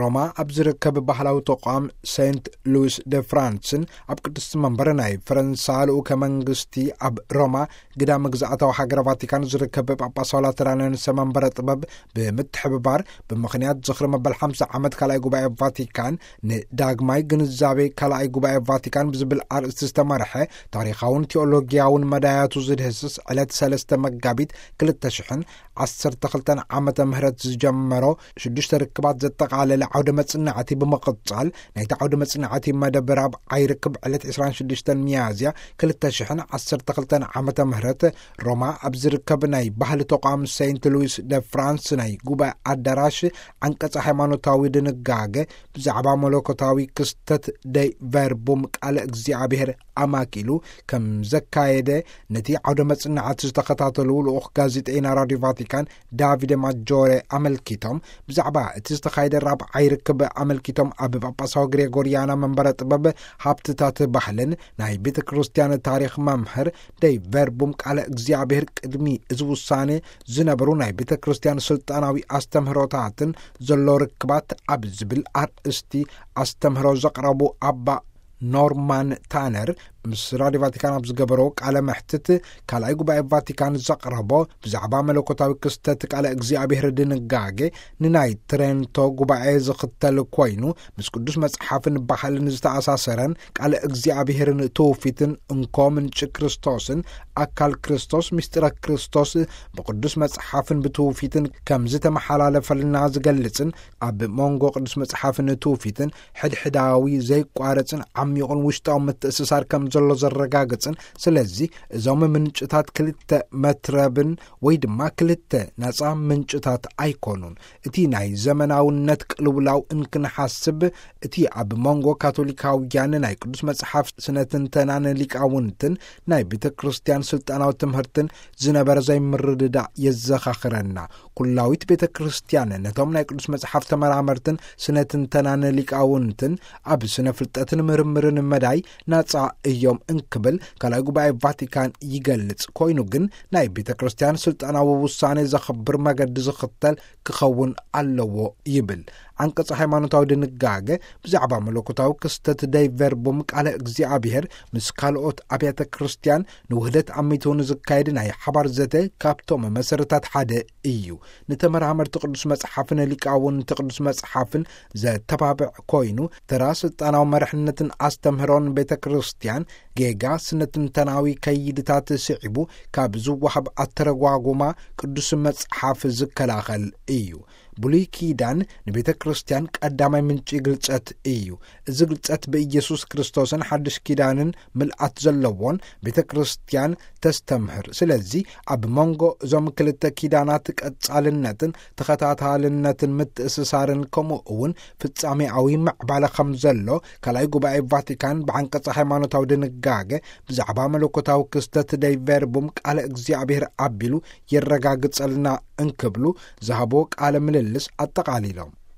ሮማ ኣብ ዝርከብ ባህላዊ ተቋም ሴንት ሉዊስ ደ ፍራንስን ኣብ ቅድስቲ መንበር ናይ ፈረንሳ ልኡከ መንግስቲ ኣብ ሮማ ግዳም ግዝኣታዊ ሃገረ ቫቲካን ዝርከብ ጳጳሳዊ ላተራንያን ሰመንበረ ጥበብ ብምትሕብባር ብምኽንያት ዝኽሪ መበል ሓምሳ ዓመት ካልኣይ ጉባኤ ቫቲካን ንዳግማይ ግንዛቤ ካልኣይ ጉባኤ ቫቲካን ብዝብል ኣርእስቲ ዝተመርሐ ታሪኻውን ቴኦሎጊያውን መዳያቱ ዝድህስስ ዕለት ሰለስተ መጋቢት ክልተ ሽሕን ዓሰርተ ክልተን ዓመተ ምህረት ዝጀመሮ ሽዱሽተ ርክባት ዘጠቓለለ ዓውደ መጽናዕቲ ብምቕጻል ናይቲ ዓውደ መጽናዕቲ መደብ ራብዓይ ርክብ ዕለት ዕስራን ሽዱሽተን ሚያዝያ ክልተ ሽሕን ዓሰርተ ክልተን ዓመተ ምህረት ሮማ ኣብ ዝርከብ ናይ ባህሊ ተቋም ሴንት ሉዊስ ደ ፍራንስ ናይ ጉባኤ ኣዳራሽ ዓንቀጸ ሃይማኖታዊ ድንጋገ ብዛዕባ መለኮታዊ ክስተት ደይ ቨርቡም ቃለ እግዚኣብሔር ኣማኪሉ ከም ዘካየደ ነቲ ዓውደ መጽናዕቲ ዝተኸታተሉ ልኡኽ ጋዜጠይና ራዲዮ ቫቲካን ዳቪደ ማጆሬ ኣመልኪቶም፣ ብዛዕባ እቲ ዝተኻየደ ራብዓይ ርክብ ኣመልኪቶም ኣብ ጳጳሳዊ ግሬጎርያና መንበረ ጥበብ ሃብትታት ባህልን ናይ ቤተ ክርስቲያን ታሪኽ መምህር ደይ ቨርቡም ቃለ እግዚኣብሔር ቅድሚ እዚ ውሳኔ ዝነበሩ ናይ ቤተ ክርስቲያን ስልጣናዊ ኣስተምህሮታትን ዘሎ ርክባት ኣብ ዝብል ኣርእስቲ ኣስተምህሮ ዘቕረቡ ኣባ ኖርማን ታነር ምስ ራዲዮ ቫቲካን ኣብ ዝገበሮ ቃለ መሕትት ካልኣይ ጉባኤ ቫቲካን ዘቕረቦ ብዛዕባ መለኮታዊ ክስተት ቃለ እግዚኣብሔር ድንጋጌ ንናይ ትሬንቶ ጉባኤ ዝኽተል ኮይኑ ምስ ቅዱስ መጽሓፍን ባህልን ዝተኣሳሰረን ቃለ እግዚኣብሔርን ትውፊትን እንኮ ምንጪ ክርስቶስን ኣካል ክርስቶስ ምስጢረ ክርስቶስ ብቅዱስ መጽሓፍን ብትውፊትን ከም ዝተመሓላለፈልና ዝገልጽን ኣብ መንጎ ቅዱስ መጽሓፍን ትውፊትን ሕድሕዳዊ ዘይቋረጽን ዓሚቑን ውሽጣዊ ምትእስሳር ከም ዘሎ ዘረጋግጽን፣ ስለዚ እዞም ምንጭታት ክልተ መትረብን ወይ ድማ ክልተ ነጻ ምንጭታት ኣይኮኑን። እቲ ናይ ዘመናውነት ቅልውላው እንክንሓስብ እቲ ኣብ መንጎ ካቶሊካውያን ናይ ቅዱስ መጽሓፍ ስነ ትንተናን ሊቃውንትን ናይ ቤተ ክርስቲያን ስልጣናዊ ትምህርትን ዝነበረ ዘይምርድዳእ የዘኻኽረና። ኩላዊት ቤተ ክርስቲያን ነቶም ናይ ቅዱስ መጽሓፍ ተመራመርትን ስነ ትንተናን ሊቃውንትን ኣብ ስነ ፍልጠትን ምርምርን መዳይ ናጻ እዮም እንክብል ካልኣይ ጉባኤ ቫቲካን ይገልጽ። ኮይኑ ግን ናይ ቤተ ክርስቲያን ስልጣናዊ ውሳኔ ዘኽብር መገዲ ዝኽተል ክኸውን ኣለዎ ይብል። ዓንቀጽ ሃይማኖታዊ ድንጋገ ብዛዕባ መለኮታዊ ክስተት ደይ ቨርቡም ቃለ እግዚኣብሔር ምስ ካልኦት ኣብያተ ክርስቲያን ንውህደት ኣሚቱ ንዝካየድ ናይ ሓባር ዘተ ካብቶም መሰረታት ሓደ እዩ። ንተመራመርቲ ቅዱስ መጽሓፍን ሊቃውንቲ ቅዱስ መጽሓፍን ዘተባብዕ ኮይኑ፣ ተራ ስልጣናዊ መርሕነትን ኣስተምህሮን ቤተ ክርስቲያን ጌጋ ስነ ትንተናዊ ከይድታት ስዒቡ ካብ ዝወሃብ ኣተረጓጉማ ቅዱስ መጽሓፍ ዝከላኸል እዩ። ብሉይ ኪዳን ንቤተ ክርስቲያን ቀዳማይ ምንጪ ግልጸት እዩ። እዚ ግልጸት ብኢየሱስ ክርስቶስን ሓድሽ ኪዳንን ምልኣት ዘለዎን ቤተ ክርስቲያን ተስተምህር። ስለዚ ኣብ መንጎ እዞም ክልተ ኪዳናት ቀጻልነትን ተኸታታልነትን ምትእስሳርን ከምኡ እውን ፍጻሜኣዊ ምዕባለ ከም ዘሎ ካልኣይ ጉባኤ ቫቲካን ብዓንቀጸ ሃይማኖታዊ ድንጋገ ብዛዕባ መለኮታዊ ክስተት ደይ ቨርቡም ቃለ እግዚኣብሔር ኣቢሉ የረጋግጸልና እንክብሉ ዝሃቦ ቃለ ምልልስ ኣጠቓሊሎም።